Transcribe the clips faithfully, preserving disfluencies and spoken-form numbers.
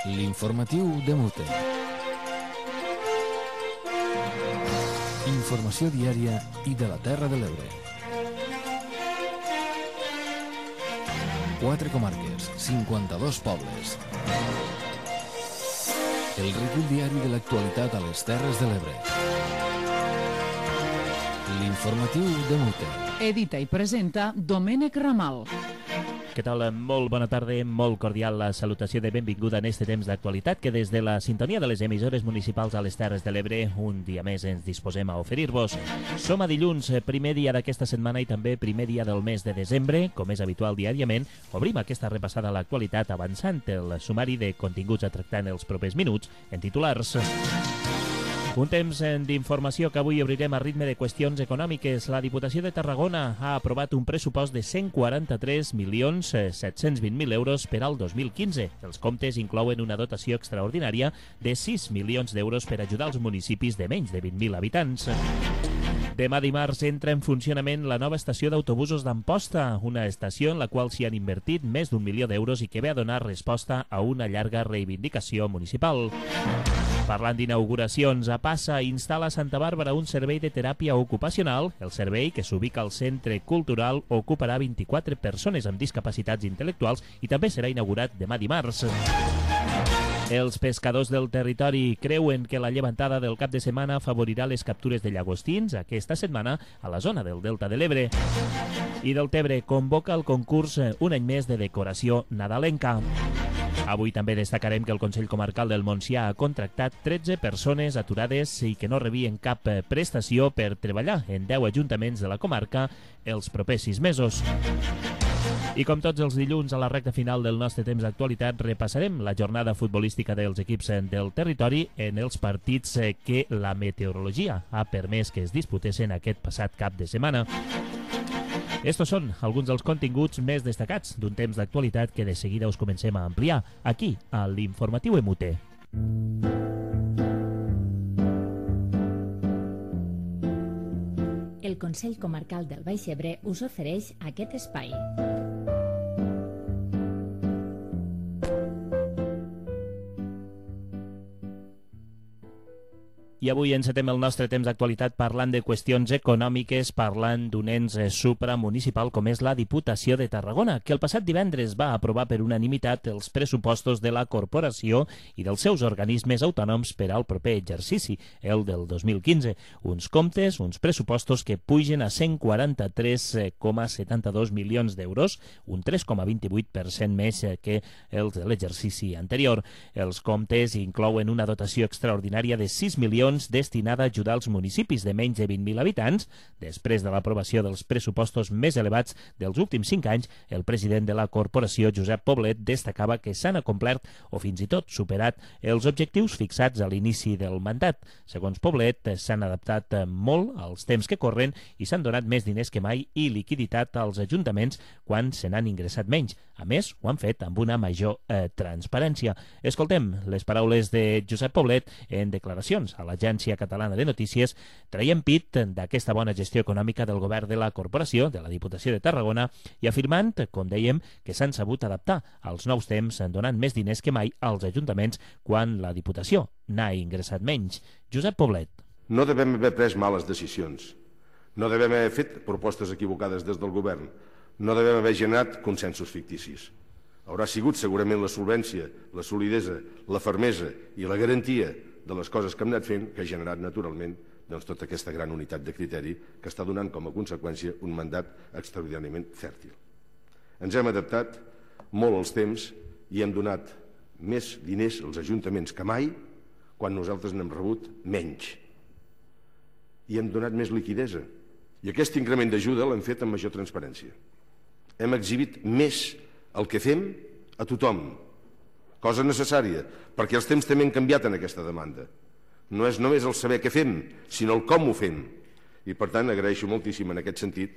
L'informatiu de Mute. Informació diària i de la Terra de l'Ebre. Quatre comarques, cinquanta-dos pobles. El recull diari de l'actualitat a les Terres de l'Ebre. L'informatiu de Mute. Edita i presenta Domènec Ramal. Què tal? Molt bona tarda, molt cordial la salutació de benvinguda en este temps d'actualitat que des de la sintonia de les emissores municipals a les Terres de l'Ebre un dia més ens disposem a oferir-vos. Som a dilluns, primer dia d'aquesta setmana i també primer dia del mes de desembre. Com és habitual diàriament, obrim aquesta repassada a l'actualitat avançant el sumari de continguts a tractar en els propers minuts en titulars. Un temps d'informació que avui obrirem a ritme de qüestions econòmiques. La Diputació de Tarragona ha aprovat un pressupost de cent quaranta-tres milions set-cents vint mil euros per al dos mil quinze. Els comptes inclouen una dotació extraordinària de sis milions d'euros per ajudar els municipis de menys de vint mil habitants. Demà dimarts entra en funcionament la nova estació d'autobusos d'Amposta, una estació en la qual s'hi han invertit més d'un milió d'euros i que ve a donar resposta a una llarga reivindicació municipal. Parlant d'inauguracions, a Passa instal·la a Santa Bàrbara un servei de teràpia ocupacional. El servei, que s'ubica al Centre Cultural, ocuparà vint-i-quatre persones amb discapacitats intel·lectuals i també serà inaugurat demà dimarts. Els pescadors del territori creuen que la llevantada del cap de setmana afavorirà les captures de llagostins aquesta setmana a la zona del Delta de l'Ebre. I del Tebre convoca el concurs un any més de decoració nadalenca. Avui també destacarem que el Consell Comarcal del Montsià ha contractat tretze persones aturades i que no rebien cap prestació per treballar en deu ajuntaments de la comarca els propers sis mesos. I com tots els dilluns a la recta final del nostre temps d'actualitat repassarem la jornada futbolística dels equips del territori en els partits que la meteorologia ha permès que es disputessin aquest passat cap de setmana. Estos són alguns dels continguts més destacats d'un temps d'actualitat que de seguida us comencem a ampliar aquí, a l'Informatiu M U T. El Consell Comarcal del Baix Ebre us ofereix aquest espai. I avui encetem el nostre temps d'actualitat parlant de qüestions econòmiques, parlant d'un ens supramunicipal com és la Diputació de Tarragona, que el passat divendres va aprovar per unanimitat els pressupostos de la corporació i dels seus organismes autònoms per al proper exercici, el del dos mil quinze. Uns comptes, uns pressupostos que pugen a cent quaranta-tres coma setanta-dos milions d'euros, un tres coma vint-i-vuit per cent més que els de l'exercici anterior. Els comptes inclouen una dotació extraordinària de sis milions destinada a ajudar els municipis de menys de vint mil habitants. Després de l'aprovació dels pressupostos més elevats dels últims cinc anys, el president de la corporació, Josep Poblet, destacava que s'han acomplert o fins i tot superat els objectius fixats a l'inici del mandat. Segons Poblet, s'han adaptat molt als temps que corren i s'han donat més diners que mai i liquiditat als ajuntaments quan se n'han ingressat menys. A més, ho han fet amb una major eh, transparència. Escoltem les paraules de Josep Poblet en declaracions a l'Agència Catalana de Notícies, traient pit d'aquesta bona gestió econòmica del govern de la corporació, de la Diputació de Tarragona, i afirmant, com dèiem, que s'han sabut adaptar als nous temps, donant més diners que mai als ajuntaments quan la Diputació n'ha ingressat menys. Josep Poblet. No devem haver pres males decisions. No devem haver fet propostes equivocades des del govern. No devem haver generat consensos ficticis. Haurà sigut segurament la solvència, la solidesa, la fermesa i la garantia de les coses que hem anat fent que ha generat naturalment doncs, tota aquesta gran unitat de criteri que està donant com a conseqüència un mandat extraordinàriament fèrtil. Ens hem adaptat molt als temps i hem donat més diners als ajuntaments que mai quan nosaltres n'hem rebut menys. I hem donat més liquidesa. I aquest increment d'ajuda l'hem fet amb major transparència. Hem exhibit més el que fem a tothom, cosa necessària, perquè els temps també han canviat en aquesta demanda. No és només el saber què fem, sinó el com ho fem. I per tant agraeixo moltíssim en aquest sentit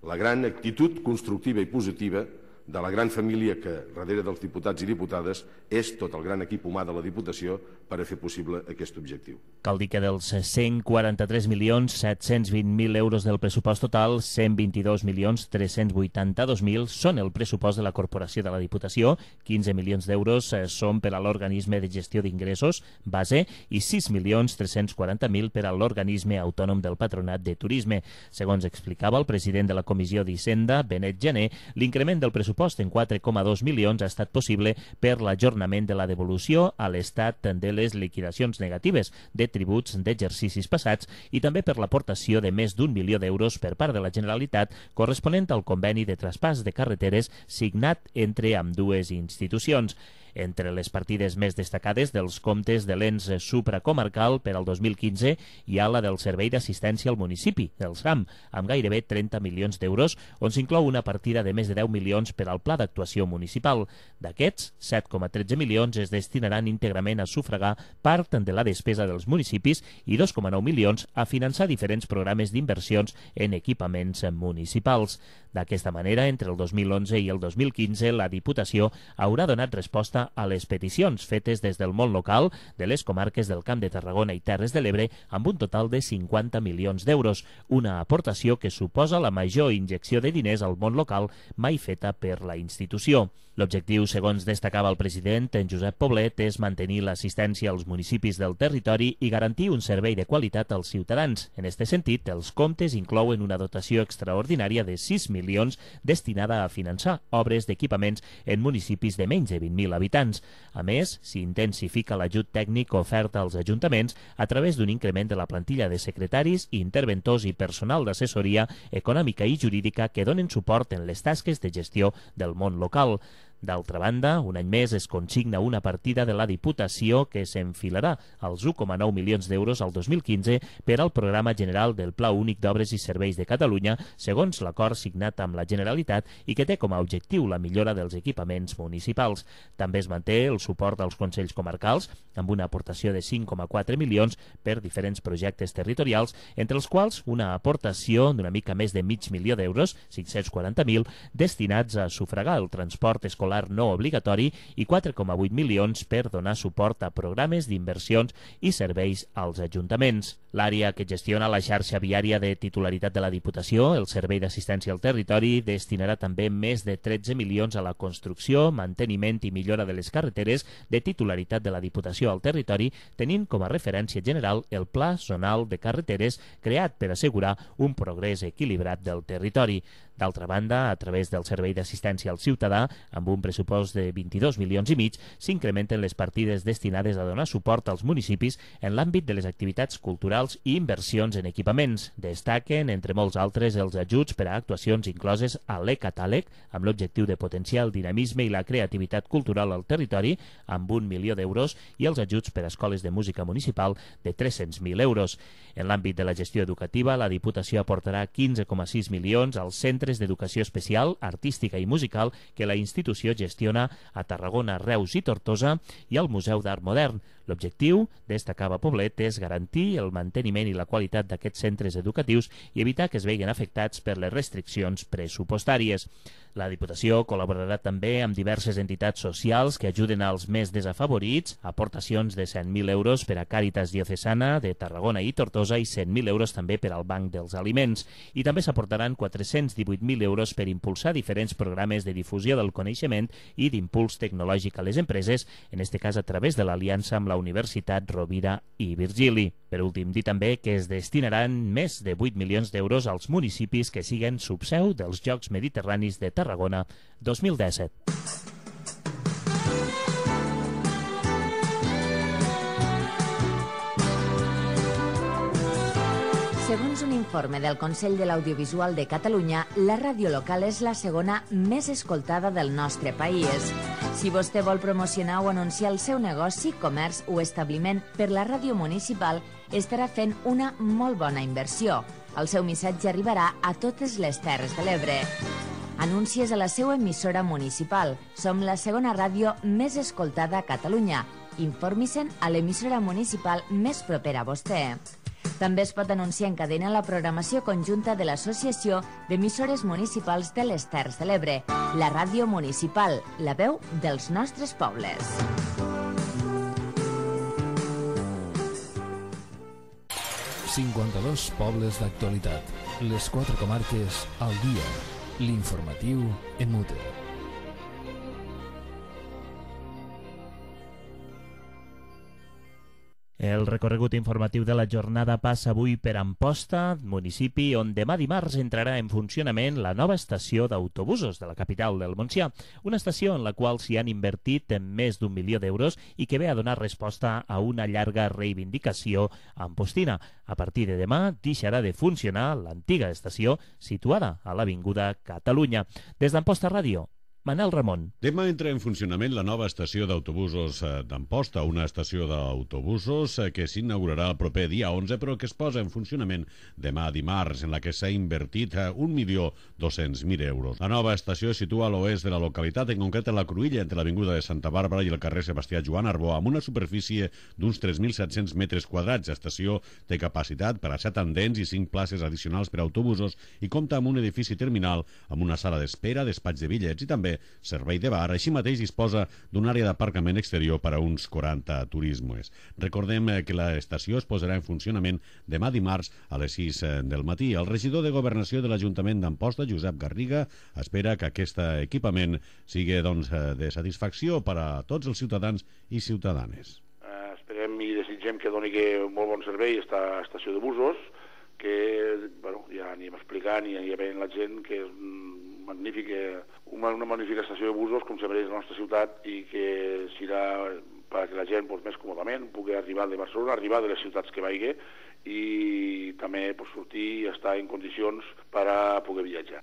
la gran actitud constructiva i positiva de la gran família que, darrere dels diputats i diputades, és tot el gran equip humà de la Diputació per a fer possible aquest objectiu. Cal dir que dels cent quaranta-tres milions set-cents vint mil euros del pressupost total, cent vint-i-dos milions tres-cents vuitanta-dos mil són el pressupost de la Corporació de la Diputació, quinze milions d'euros són per a l'Organisme de Gestió d'Ingressos, base, i sis milions tres-cents quaranta mil per a l'Organisme Autònom del Patronat de Turisme. Segons explicava el president de la Comissió d'Hisenda, Benet Gené, l'increment del pressupost en quatre coma dos milions ha estat possible per l'ajornament de la devolució a l'Estat de les liquidacions negatives de tributs d'exercicis passats i també per l'aportació de més d'un milió d'euros per part de la Generalitat corresponent al conveni de traspàs de carreteres signat entre ambdues institucions. Entre les partides més destacades dels comptes de l'ens supracomarcal per al dos mil quinze hi ha la del Servei d'Assistència al Municipi, el SAM, amb gairebé trenta milions d'euros, on s'inclou una partida de més de deu milions per al Pla d'Actuació Municipal. D'aquests, set coma tretze milions es destinaran íntegrament a sufragar part de la despesa dels municipis i dos coma nou milions a finançar diferents programes d'inversions en equipaments municipals. D'aquesta manera, entre el dos mil onze i el dos mil quinze, la Diputació haurà donat resposta a les peticions fetes des del món local de les comarques del Camp de Tarragona i Terres de l'Ebre amb un total de cinquanta milions d'euros, una aportació que suposa la major injecció de diners al món local mai feta per la institució. L'objectiu, segons destacava el president, en Josep Poblet, és mantenir l'assistència als municipis del territori i garantir un servei de qualitat als ciutadans. En aquest sentit, els comptes inclouen una dotació extraordinària de sis milions destinada a finançar obres d'equipaments en municipis de menys de vint mil habitants. A més, s'intensifica l'ajut tècnic ofert als ajuntaments a través d'un increment de la plantilla de secretaris, interventors i personal d'assessoria econòmica i jurídica que donen suport en les tasques de gestió del món local. D'altra banda, un any més es consigna una partida de la Diputació que s'enfilarà als un coma nou milions d'euros al dos mil quinze per al Programa General del Pla Únic d'Obres i Serveis de Catalunya, segons l'acord signat amb la Generalitat i que té com a objectiu la millora dels equipaments municipals. També es manté el suport als Consells Comarcals, amb una aportació de cinc coma quatre milions per diferents projectes territorials, entre els quals una aportació d'una mica més de mig milió d'euros, cinc-cents quaranta mil, destinats a sufragar el transport escolar no obligatori i quatre coma vuit milions per donar suport a programes d'inversions i serveis als ajuntaments. L'àrea que gestiona la xarxa viària de titularitat de la Diputació, el Servei d'Assistència al Territori, destinarà també més de tretze milions a la construcció, manteniment i millora de les carreteres de titularitat de la Diputació al territori, tenint com a referència general el Pla Zonal de Carreteres creat per assegurar un progrés equilibrat del territori. D'altra banda, a través del Servei d'Assistència al Ciutadà, amb un pressupost de vint-i-dos milions i mig, s'incrementen les partides destinades a donar suport als municipis en l'àmbit de les activitats culturals i inversions en equipaments. Destaquen, entre molts altres, els ajuts per a actuacions incloses a l'e-catàleg, amb l'objectiu de potenciar el dinamisme i la creativitat cultural al territori, amb un milió d'euros, i els ajuts per a escoles de música municipal de tres-cents mil euros. En l'àmbit de la gestió educativa, la Diputació aportarà quinze coma sis milions als centres d'educació especial, artística i musical que la institució gestiona a Tarragona, Reus i Tortosa i al Museu d'Art Modern. L'objectiu, destacava Poblet, és garantir el manteniment i la qualitat d'aquests centres educatius i evitar que es vegin afectats per les restriccions pressupostàries. La Diputació col·laborarà també amb diverses entitats socials que ajuden als més desafavorits, aportacions de cent mil euros per a Càritas Diocesana de Tarragona i Tortosa i cent mil euros també per al Banc dels Aliments. I també s'aportaran quatre-cents divuit mil euros per impulsar diferents programes de difusió del coneixement i d'impuls tecnològic a les empreses, en aquest cas a través de l'aliança amb la Universitat Rovira i Virgili. Per últim, dir també que es destinaran més de vuit milions d'euros als municipis que siguen subseu dels Jocs Mediterranis de Tarragona dos mil disset. Segons un informe del Consell de l'Audiovisual de Catalunya, la ràdio local és la segona més escoltada del nostre país. Si vostè vol promocionar o anunciar el seu negoci, comerç o establiment per la ràdio municipal, estarà fent una molt bona inversió. El seu missatge arribarà a totes les Terres de l'Ebre. Anuncies a la seva emissora municipal. Som la segona ràdio més escoltada a Catalunya. Informi-se'n a l'emissora municipal més propera a vostè. També es pot anunciar en cadena la programació conjunta de l'Associació d'Emissores Municipals de les Terres de l'Ebre, la ràdio municipal, la veu dels nostres pobles. cinquanta-dos pobles d'actualitat. Les quatre comarques al dia. L'informatiu en Mute. El recorregut informatiu de la jornada passa avui per Amposta, municipi on demà dimarts entrarà en funcionament la nova estació d'autobusos de la capital del Montsià, una estació en la qual s'hi han invertit més d'un milió d'euros i que ve a donar resposta a una llarga reivindicació ampostina. A partir de demà deixarà de funcionar l'antiga estació situada a l'Avinguda Catalunya. Des d'Amposta Ràdio, Manel Ramon. Demà entra en funcionament la nova estació d'autobusos d'Amposta, una estació d'autobusos que s'inaugurarà el proper dia onze, però que es posa en funcionament demà dimarts, en la que s'ha invertit un milió dos-cents mil euros. La nova estació es situa a l'oest de la localitat, en concret a la Cruïlla, entre l'Avinguda de Santa Bàrbara i el carrer Sebastià Joan Arbó, amb una superfície d'uns tres mil set-cents metres quadrats. L'estació té capacitat per a set andens i cinc places addicionals per a autobusos i compta amb un edifici terminal amb una sala d'espera, despatx de bitllets i també servei de bar. Així mateix disposa d'una àrea d'aparcament exterior per a uns quaranta turismes. Recordem que l'estació es posarà en funcionament demà dimarts a les sis del matí. El regidor de Governació de l'Ajuntament d'Amposta, Josep Garriga, espera que aquest equipament sigui doncs, de satisfacció per a tots els ciutadans i ciutadanes. Uh, esperem i desitgem que doni molt bon servei aquesta estació de busos, que bueno, ja anirem explicant i ja veient la gent que és magnífica, una, una magnífica estació de busos com se mereix la nostra ciutat i que serà perquè la gent pues, més còmodament pugui arribar de Barcelona, arribar de les ciutats que vagi i també pues, sortir i estar en condicions per a poder viatjar.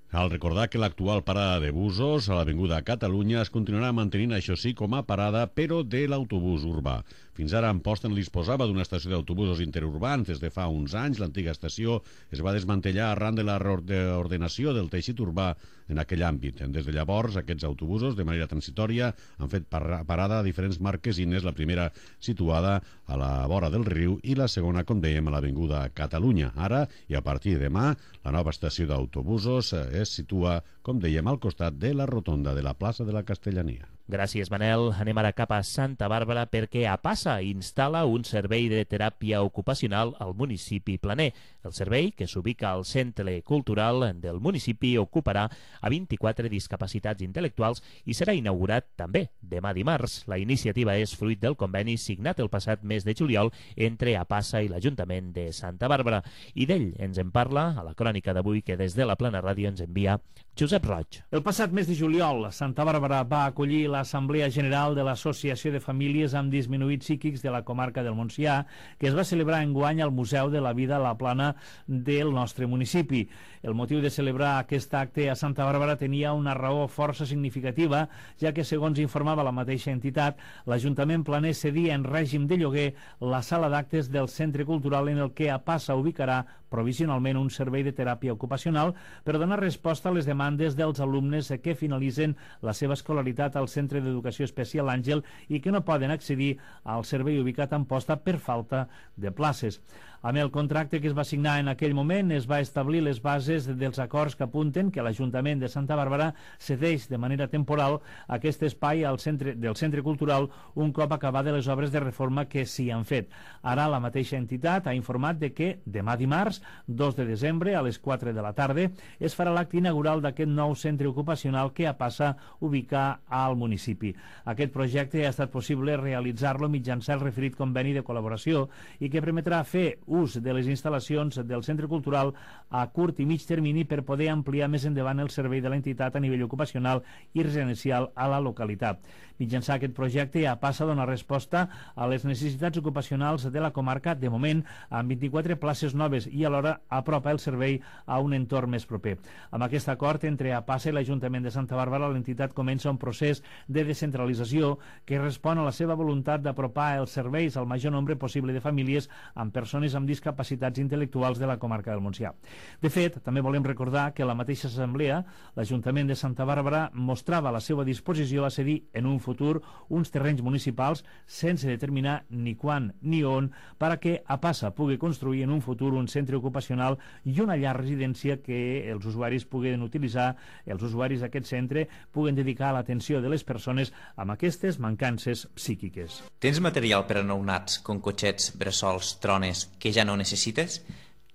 Cal recordar que l'actual parada de busos a l'Avinguda Catalunya es continuarà mantenint, això sí, com a parada, però de l'autobús urbà. Fins ara Amposta no disposava d'una estació d'autobusos interurbans. Des de fa uns anys, l'antiga estació es va desmantellar arran de la reordenació del teixit urbà en aquell àmbit. Des de llavors, aquests autobusos, de manera transitòria, han fet parada a diferents marquesines, la primera situada a la vora del riu i la segona, com dèiem, a l'Avinguda Catalunya. Ara, i a partir de demà, la nova estació d'autobusos es situa, com dèiem, al costat de la rotonda de la plaça de la Castellania. Gràcies, Manel. Anem ara cap a Santa Bàrbara perquè APASA instal·la un servei de teràpia ocupacional al municipi planer. El servei, que s'ubica al Centre Cultural del municipi, ocuparà a vint-i-quatre discapacitats intel·lectuals i serà inaugurat també demà dimarts. La iniciativa és fruit del conveni signat el passat mes de juliol entre APASA i l'Ajuntament de Santa Bàrbara. I d'ell ens en parla a la crònica d'avui que des de la Plana Ràdio ens envia Josep Roig. El passat mes de juliol, Santa Bàrbara va acollir l'Assemblea General de l'Associació de Famílies amb Disminuïts Psíquics de la comarca del Montsià, que es va celebrar enguany al Museu de la Vida a la Plana del nostre municipi. El motiu de celebrar aquest acte a Santa Bàrbara tenia una raó força significativa, ja que, segons informava la mateixa entitat, l'Ajuntament planer cedia en règim de lloguer la sala d'actes del Centre Cultural en el que APASA ubicarà provisionalment un servei de teràpia ocupacional per donar resposta a les demandes dels alumnes que finalitzen la seva escolaritat al Centre d'Educació Especial Àngel i que no poden accedir al servei ubicat a Amposta per falta de places. Amb el contracte que es va signar en aquell moment es va establir les bases dels acords que apunten que l'Ajuntament de Santa Bàrbara cedeix de manera temporal aquest espai al centre, del Centre Cultural un cop acabades les obres de reforma que s'hi han fet. Ara la mateixa entitat ha informat de que demà dimarts, dos de desembre, a les quatre de la tarda, es farà l'acte inaugural d'aquest nou centre ocupacional que APASA ubicar al municipi. Aquest projecte ha estat possible realitzar-lo mitjançant el referit conveni de col·laboració i que permetrà fer ús de les instal·lacions del Centre Cultural a curt i mig termini per poder ampliar més endavant el servei de l'entitat a nivell ocupacional i residencial a la localitat. Mitjançant aquest projecte, APASA dona resposta a les necessitats ocupacionals de la comarca, de moment, amb vint-i-quatre places noves i alhora apropa el servei a un entorn més proper. Amb aquest acord entre APASA i l'Ajuntament de Santa Bàrbara, l'entitat comença un procés de descentralització que respon a la seva voluntat d'apropar els serveis al major nombre possible de famílies amb persones amb discapacitats intel·lectuals de la comarca del Montsià. De fet, també volem recordar que la mateixa assemblea, l'Ajuntament de Santa Bàrbara mostrava la seva disposició a cedir en un futur uns terrenys municipals sense determinar ni quan ni on perquè a Passa pugui construir en un futur un centre ocupacional i una llar residència que els usuaris puguen utilitzar, els usuaris d'aquest centre puguen dedicar a l'atenció de les persones amb aquestes mancances psíquiques. Tens material per a nounats com cotxets, bressols, trones que ja no necessites?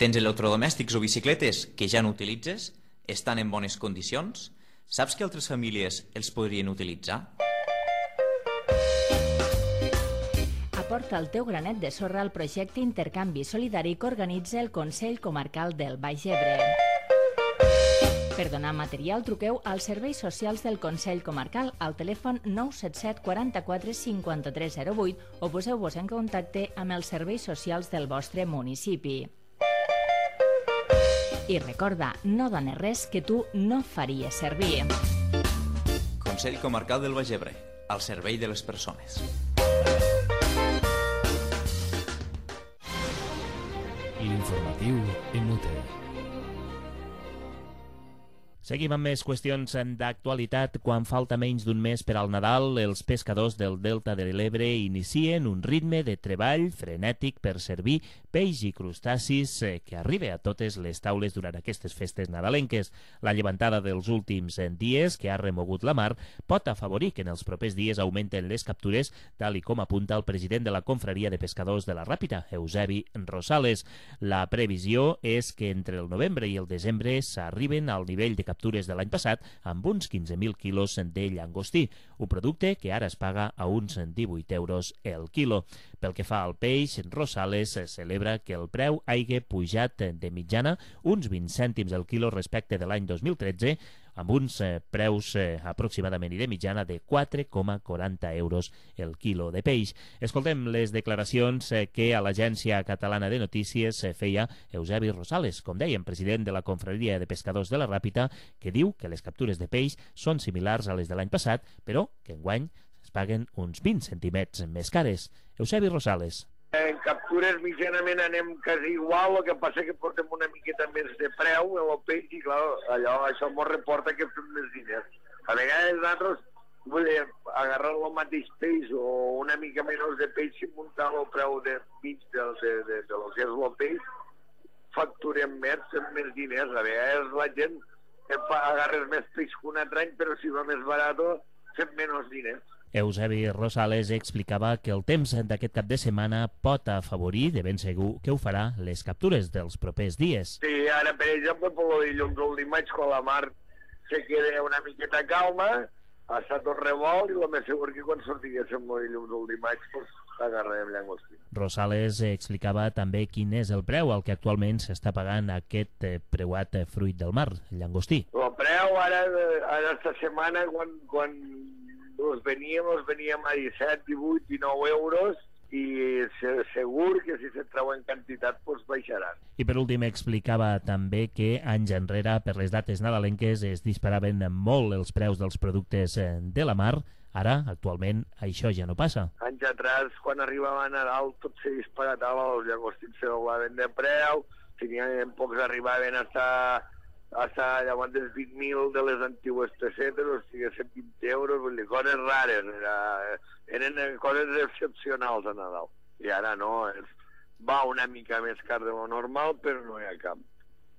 Tens electrodomèstics o bicicletes que ja no utilitzes? Estan en bones condicions? Saps que altres famílies els podrien utilitzar? Aporta el teu granet de sorra al projecte Intercanvi Solidari que organitza el Consell Comarcal del Baix Ebre. Per donar material, truqueu als serveis socials del Consell Comarcal al telèfon nou set set quaranta-quatre cinquanta-tres zero vuit o poseu-vos en contacte amb els serveis socials del vostre municipi. I recorda, no dones res que tu no faries servir. Consell Comarcal del Baix Ebre, al servei de les persones. L'informatiu en mute. Seguim amb més qüestions d'actualitat. Quan falta menys d'un mes per al Nadal, els pescadors del Delta de l'Ebre inicien un ritme de treball frenètic per servir peix i crustacis que arriba a totes les taules durant aquestes festes nadalenques. La llevantada dels últims dies, que ha remogut la mar, pot afavorir que en els propers dies augmenten les captures, tal i com apunta el president de la Confraria de Pescadors de la Ràpita, Eusebi Rosales. La previsió és que entre el novembre i el desembre s'arriben al nivell de captures de l'any passat amb uns quinze mil quilos de llangostí, un producte que ara es paga a uns divuit euros el quilo. Pel que fa al peix, Rosales celebra que el preu hagi pujat de mitjana uns vint cèntims el quilo respecte de l'any dos mil tretze, amb uns eh, preus eh, aproximadament i de mitjana de quatre coma quaranta euros el quilo de peix. Escoltem les declaracions eh, que a l'Agència Catalana de Notícies eh, feia Eusebi Rosales, com dèiem, president de la Confraria de Pescadors de la Ràpita, que diu que les captures de peix són similars a les de l'any passat, però que enguany es paguen uns vint centimets més cares. Eusebi Rosales. En captures mitjanament anem quasi igual, el que passa que portem una miqueta més de preu en el peix i clar, allò, això ens reporta que fem més diners. A vegades nosaltres, vull dir, agarrar el mateix peix o una mica menys de peix i muntar el preu de mig de, de, de, de lo que és el peix, facturem més, fem més diners. A vegades la gent agarres més peix que un altre any, però si va més barat fem menys diners. Eusebi Rosales explicava que el temps d'aquest cap de setmana pot afavorir, de ben segur que ho farà, les captures dels propers dies. Sí, ara, per exemple, per el dilluns o el dimarts, quan la mar se queda una miqueta calma, està tot revolt i el més segur que quan sortiguéssim el dilluns o el dimarts, doncs, agarrarem llangostí. Rosales explicava també quin és el preu al que actualment s'està pagant aquest preuat fruit del mar, el llangostí. El preu ara, ara esta setmana, quan... quan us veníem, us veníem a disset, divuit, dinou euros i segur que si se treu en quantitat doncs baixaran. I per últim explicava també que anys enrere per les dates nadalenques es disparaven molt els preus dels productes de la mar. Ara, actualment, això ja no passa. Anys atrás, quan arribava a Nadal, tot se disparatava, els llagostins se doblaven de preu, tenien pocs arribaven hasta... hasta llavors dels vint mil de les antigues pessetes, o sigui, cent vint euros, vull dir, coses rares, era, eren coses excepcionals a Nadal. I ara no, és, va una mica més car de lo normal, però no hi ha cap,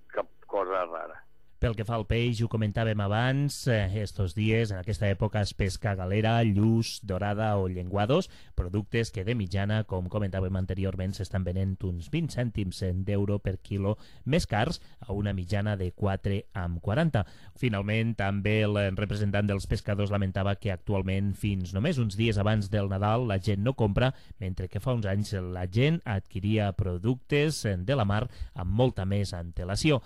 cap cosa rara. Pel que fa al peix, ho comentàvem abans, eh, estos dies, en aquesta època es pesca galera, lluç, dorada o llenguados, productes que de mitjana, com comentàvem anteriorment, s'estan venent uns vint cèntims d'euro per quilo més cars, a una mitjana de quatre coma quaranta. Finalment, també el representant dels pescadors lamentava que actualment, fins només uns dies abans del Nadal, la gent no compra, mentre que fa uns anys la gent adquiria productes de la mar amb molta més antelació.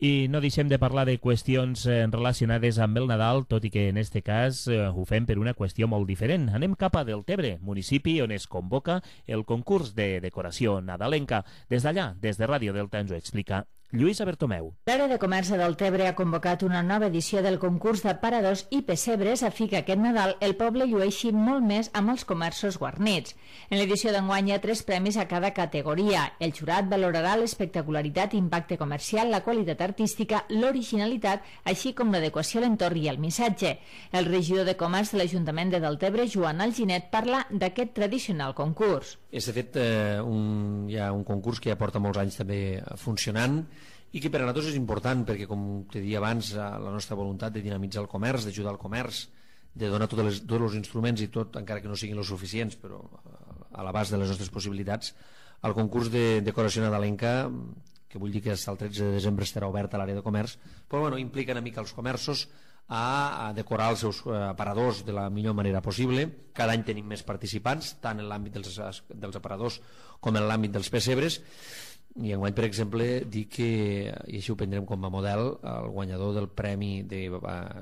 I no deixem de parlar de qüestions relacionades amb el Nadal, tot i que en este cas eh, ho fem per una qüestió molt diferent. Anem cap a Deltebre, municipi on es convoca el concurs de decoració nadalenca. Des d'allà, des de Ràdio Delta, ens ho explica Lluïsa Bertomeu. L'Àrea de Comerç de Deltebre ha convocat una nova edició del concurs d'aparadors i pessebres a fi que aquest Nadal el poble llueixi molt més amb els comerços guarnits. En l'edició d'enguany hi ha tres premis a cada categoria. El jurat valorarà l'espectacularitat i impacte comercial, la qualitat artística, l'originalitat, així com l'adequació a l'entorn i el missatge. El regidor de Comerç de l'Ajuntament de Deltebre, Joan Alginet, parla d'aquest tradicional concurs. És, de fet, eh, un, hi ha un concurs que ja porta molts anys també funcionant i que per a nosaltres és important perquè, com te deia abans, la nostra voluntat de dinamitzar el comerç, d'ajudar al comerç, de donar tots els, tots els instruments i tot, encara que no siguin els suficients, però a l'abast de les nostres possibilitats, el concurs de decoració nadalenca, que vull dir que fins al tretze de desembre estarà obert a l'àrea de comerç, però bueno, implica una mica els comerços a decorar els seus aparadors de la millor manera possible. Cada any tenim més participants, tant en l'àmbit dels, dels aparadors com en l'àmbit dels pessebres, i enguany, per exemple, dir que, i així ho prendrem com a model, el guanyador del premi de,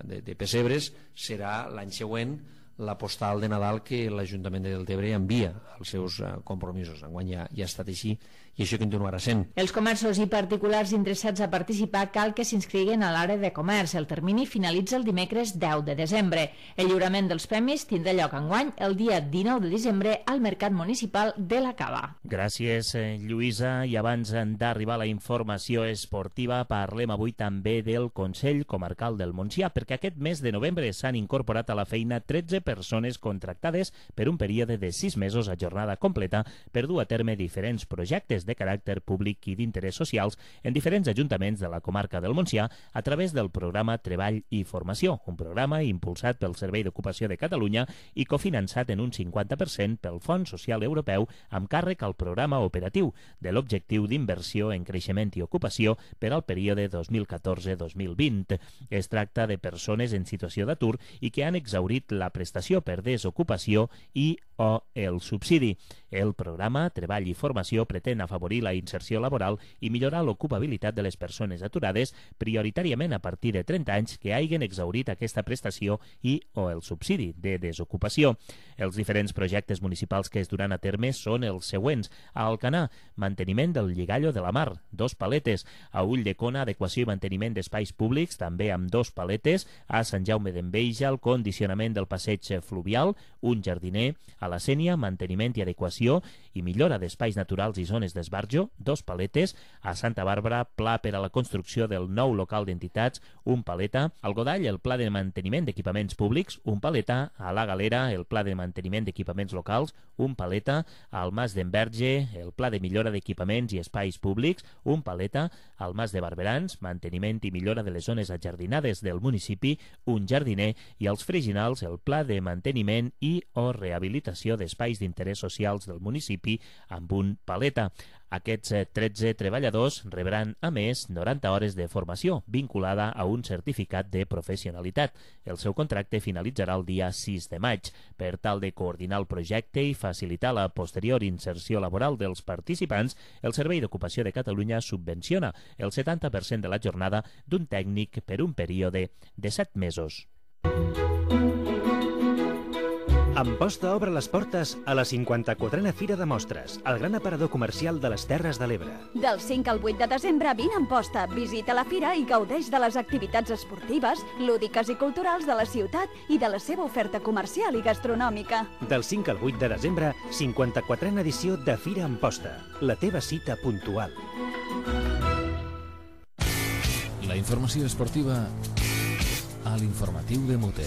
de, de pessebres serà l'any següent la postal de Nadal que l'Ajuntament de Deltebre envia als seus compromisos. Enguany ja, ja ha estat així i això continuarà sent. Els comerços i particulars interessats a participar cal que s'inscriguin a l'àrea de comerç. El termini finalitza el dimecres deu de desembre. El lliurament dels premis tindrà lloc enguany el dia dinou de desembre al Mercat Municipal de la Cava. Gràcies, Lluïsa. I abans d'arribar a la informació esportiva, parlem avui també del Consell Comarcal del Montsià, perquè aquest mes de novembre s'han incorporat a la feina tretze persones contractades per un període de sis mesos a jornada completa per dur a terme diferents projectes de caràcter públic i d'interès socials en diferents ajuntaments de la comarca del Montsià a través del programa Treball i Formació, un programa impulsat pel Servei d'Ocupació de Catalunya i cofinançat en un cinquanta per cent pel Fons Social Europeu amb càrrec al programa operatiu de l'Objectiu d'Inversió en Creixement i Ocupació per al període dos mil catorze dos mil vint. Es tracta de persones en situació d'atur i que han exhaurit la prestació per desocupació i o el subsidi. El programa Treball i Formació pretén afavorir la inserció laboral i millorar l'ocupabilitat de les persones aturades, prioritàriament a partir de trenta anys que hagin exhaurit aquesta prestació i o el subsidi de desocupació. Els diferents projectes municipals que es duran a terme són els següents. A Alcanar, manteniment del lligallo de la mar, dos paletes. A Ulldecona, adequació i manteniment d'espais públics, també amb dos paletes. A Sant Jaume d'Enveja, el condicionament del passeig fluvial, un jardiner. A la Sénia, manteniment i adequació i millora d'espais naturals i zones d'esbarjo, dos paletes. A Santa Bàrbara, pla per a la construcció del nou local d'entitats, un paleta. Al Godall, el pla de manteniment d'equipaments públics, un paleta. A la Galera, el pla de manteniment d'equipaments locals, un paleta. Al Mas d'Enverge, el pla de millora d'equipaments i espais públics, un paleta. Al Mas de Barberans, manteniment i millora de les zones ajardinades del municipi, un jardiner. I als Freginals, el pla de manteniment i o rehabilitació d'espais d'interès socials del municipi amb un paleta. Aquests tretze treballadors rebran, a més, noranta hores de formació vinculada a un certificat de professionalitat. El seu contracte finalitzarà el dia sis de maig. Per tal de coordinar el projecte i facilitar la posterior inserció laboral dels participants, el Servei d'Ocupació de Catalunya subvenciona el setanta per cent de la jornada d'un tècnic per un període de set mesos. Amposta obre les portes a la cinquanta-quatrena Fira de Mostres, el gran aparador comercial de les Terres de l'Ebre. Del cinc al vuit de desembre, vine a Amposta, visita la fira i gaudeix de les activitats esportives, lúdiques i culturals de la ciutat i de la seva oferta comercial i gastronòmica. Del cinc al vuit de desembre, cinquanta-quatrena edició de Fira Amposta, la teva cita puntual. La informació esportiva a l'informatiu de Mote.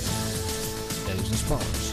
Els esports.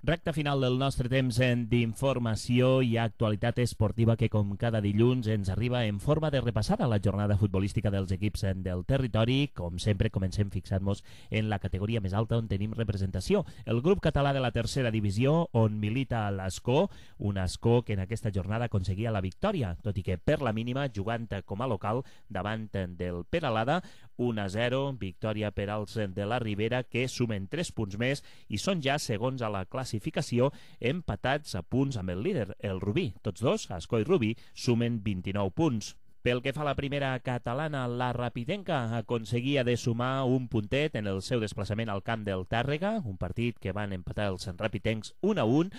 Recta final del nostre temps d'informació i actualitat esportiva que, com cada dilluns, ens arriba en forma de repassar a la jornada futbolística dels equips del territori. Com sempre, comencem fixant-nos en la categoria més alta on tenim representació. El grup català de la tercera divisió, on milita l'Escó, un Escó que en aquesta jornada aconseguia la victòria, tot i que per la mínima, jugant com a local davant del Peralada, un a zero, victòria per als de la Ribera, que sumen tres punts més i són ja segons a la classificació classificació empatats a punts amb el líder, el Rubí. Tots dos, Escó i Rubí, sumen vint-i-nou punts. Pel que fa a la primera catalana, la Rapidenca aconseguia de sumar un puntet en el seu desplaçament al camp del Tàrrega, un partit que van empatar els rapitencs un a un,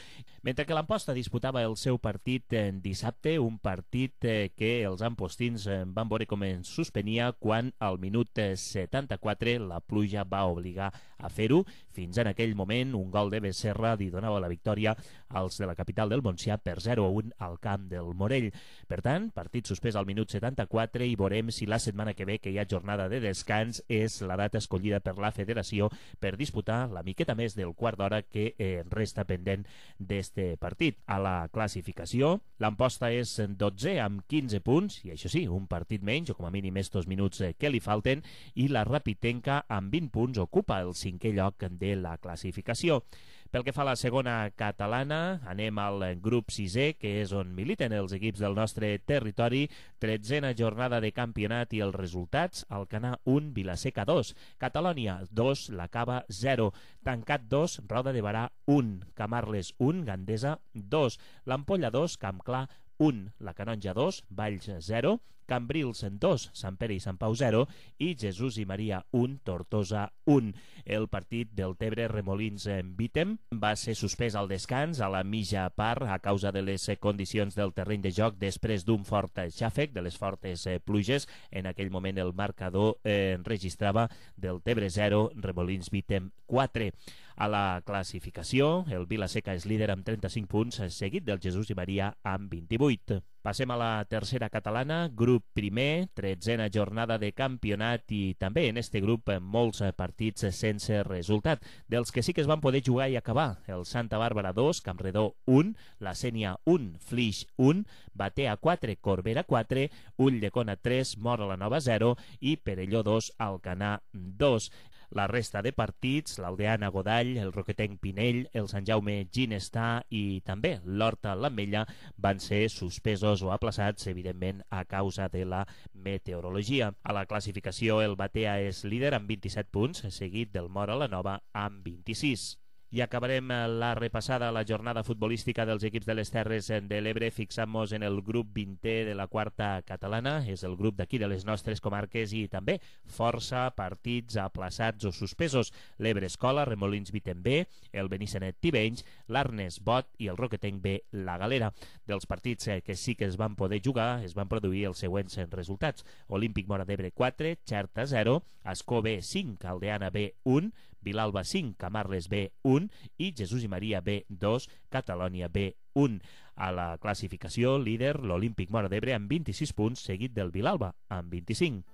mentre que l'Amposta disputava el seu partit en dissabte, un partit que els ampostins van veure com es suspenia quan al minut setanta-quatre la pluja va obligar a fer-ho. Fins en aquell moment un gol de Becerra li donava la victòria als de la capital del Montsià per zero a un al camp del Morell. Per tant, partit suspès al minut setanta-quatre i veurem si la setmana que ve, que hi ha jornada de descans, és la data escollida per la federació per disputar la miqueta més del quart d'hora que eh, resta pendent d'este partit. A la classificació, l'Amposta és dotze amb quinze punts, i això sí, un partit menys, o com a mínim estos minuts eh, que li falten, i la Rapitenca amb vint punts ocupa el cinquè lloc de la classificació. Pel que fa a la segona catalana, anem al grup sisè, que és on militen els equips del nostre territori. Tretzena jornada de campionat i els resultats: Alcanar un, Vilaseca dos, Catalònia dos, La Cava zero, Tancat dos, Roda de Barà un, Camarles un, Gandesa dos, l'Ampolla dos, Campclar un, la Canonja dos, Valls zero, Cambrils dos, Sant Pere i Sant Pau zero i Jesús i Maria un, Tortosa un. El partit del Tebre Remolins en Vítem va ser suspès al descans a la mitja part a causa de les condicions del terreny de joc després d'un fort xàfec, de les fortes pluges. En aquell moment el marcador eh, registrava del Tebre zero, Remolins Vítem quatre. A la classificació, el Vilaseca és líder amb trenta-cinc punts, seguit del Jesús i Maria amb vint-i-vuit. Passem a la tercera catalana, grup primer, tretzena jornada de campionat i també en este grup molts partits sense resultat. Dels que sí que es van poder jugar i acabar: el Santa Bàrbara dos, Campredó un, la Sénia un, Flix un, Batea quatre, Corbera quatre, Ulldecona tres, Móra la Nova zero i Perelló dos, Alcanar dos. La resta de partits, l'Aldeana Godall, el Roquetenc Pinell, el Sant Jaume Ginestar i també l'Horta l'Ametlla van ser suspesos o aplaçats, evidentment, a causa de la meteorologia. A la classificació, el Batea és líder amb vint-i-set punts, seguit del Móra la Nova amb vint-i-sis. I acabarem la repassada a la jornada futbolística dels equips de les Terres de l'Ebre fixant-nos en el grup vintè de la quarta catalana. És el grup d'aquí de les nostres comarques i també força partits aplaçats o suspesos: l'Ebre Escola, Remolins Vítem B, el Benissanet Tivenys, l'Arnes Bot i el Roquetenc B, La Galera. Dels partits que sí que es van poder jugar es van produir els següents resultats: Olímpic Móra d'Ebre quatre, Xerta zero, Ascó B cinc, Aldeana B un, Vilalba cinc, Camarles B un i Jesús i Maria B dos, Catalònia B un. A la classificació, líder l'Olímpic Móra d'Ebre amb vint-i-sis punts, seguit del Vilalba amb vint-i-cinc.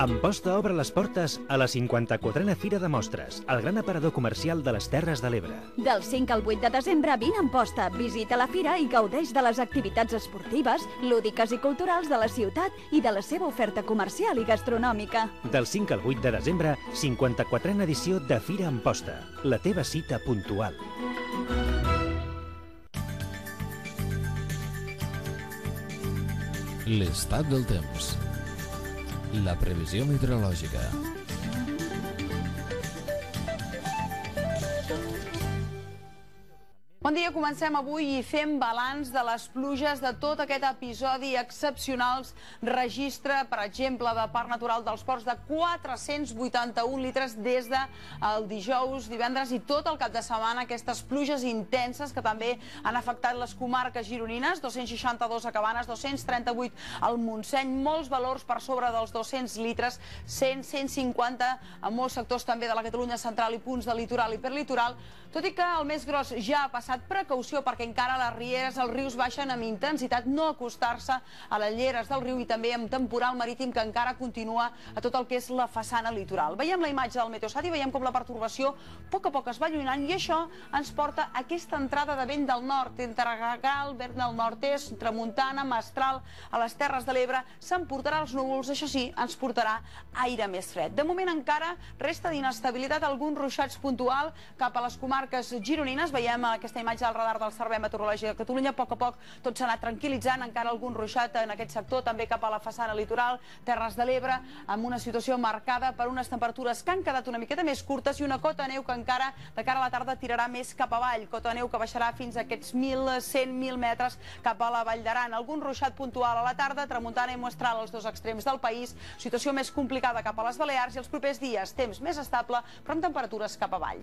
Amposta obre les portes a la cinquanta-quatrena Fira de Mostres, el gran aparador comercial de les Terres de l'Ebre. Del cinc al vuit de desembre, vine a Amposta, visita la fira i gaudeix de les activitats esportives, lúdiques i culturals de la ciutat i de la seva oferta comercial i gastronòmica. Del cinc al vuit de desembre, cinquanta-quatrena edició de Fira Amposta, la teva cita puntual. L'estat del temps. La previsió meteorològica. Bon dia, comencem avui i fem balanç de les pluges de tot aquest episodi excepcionals. Registre, per exemple, de Parc Natural dels Ports de quatre-cents vuitanta-un litres des del dijous, divendres i tot el cap de setmana. Aquestes pluges intenses que també han afectat les comarques gironines, dos-cents seixanta-dos a Cabanes, dos-cents trenta-vuit al Montseny, molts valors per sobre dels dos-cents litres, cent, cent cinquanta en molts sectors també de la Catalunya central i punts de litoral i perlitoral, tot i que el més gros ja ha passat. Precaució perquè encara les rieres, els rius baixen amb intensitat, no acostar-se a les lleres del riu i també amb temporal marítim que encara continua a tot el que és la façana litoral. Veiem la imatge del Meteosat i veiem com la pertorbació a poc a poc es va allunyant i això ens porta a aquesta entrada de vent del nord, entre Gregal, vent del nord-est, tramuntana, mestral, a les Terres de l'Ebre, s'emportarà els núvols, això sí, ens portarà aire més fred. De moment encara resta d'inestabilitat, alguns ruixats puntual cap a les comarques gironines, veiem aquesta imatge del radar del Servei Meteorològic de Catalunya. A poc a poc tot s'ha anat tranquil·litzant, encara algun ruixat en aquest sector, també cap a la façana litoral, Terres de l'Ebre, amb una situació marcada per unes temperatures que han quedat una miqueta més curtes i una cota de neu que encara de cara a la tarda tirarà més cap avall, cota de neu que baixarà fins a aquests mil cent mil metres cap a la Vall d'Aran. Algun ruixat puntual a la tarda, tramuntana i mestral als dos extrems del país, situació més complicada cap a les Balears i els propers dies temps més estable però amb temperatures cap avall.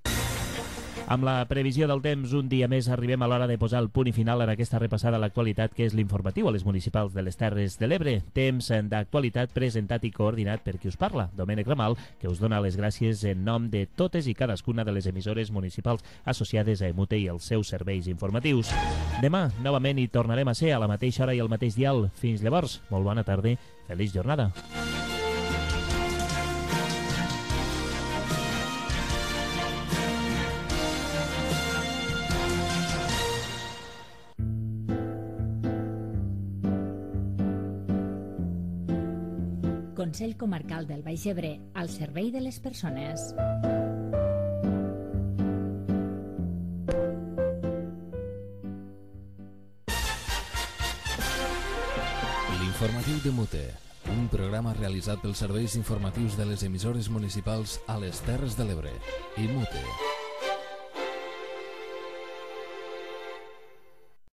Amb la previsió del temps, un dia més arribem a l'hora de posar el punt i final en aquesta repassada a l'actualitat que és l'informatiu a les municipals de les Terres de l'Ebre. Temps d'actualitat presentat i coordinat per qui us parla, Domènec Ramal, que us dona les gràcies en nom de totes i cadascuna de les emissores municipals associades a Emute i els seus serveis informatius. Demà, novament, hi tornarem a ser a la mateixa hora i al mateix dial. Fins llavors, molt bona tarda, feliç jornada. Consell Comarcal del Baix Ebre, al servei de les persones. L'informatiu de Mute, un programa realitzat pels serveis informatius de les emissores municipals a les Terres de l'Ebre i Mute.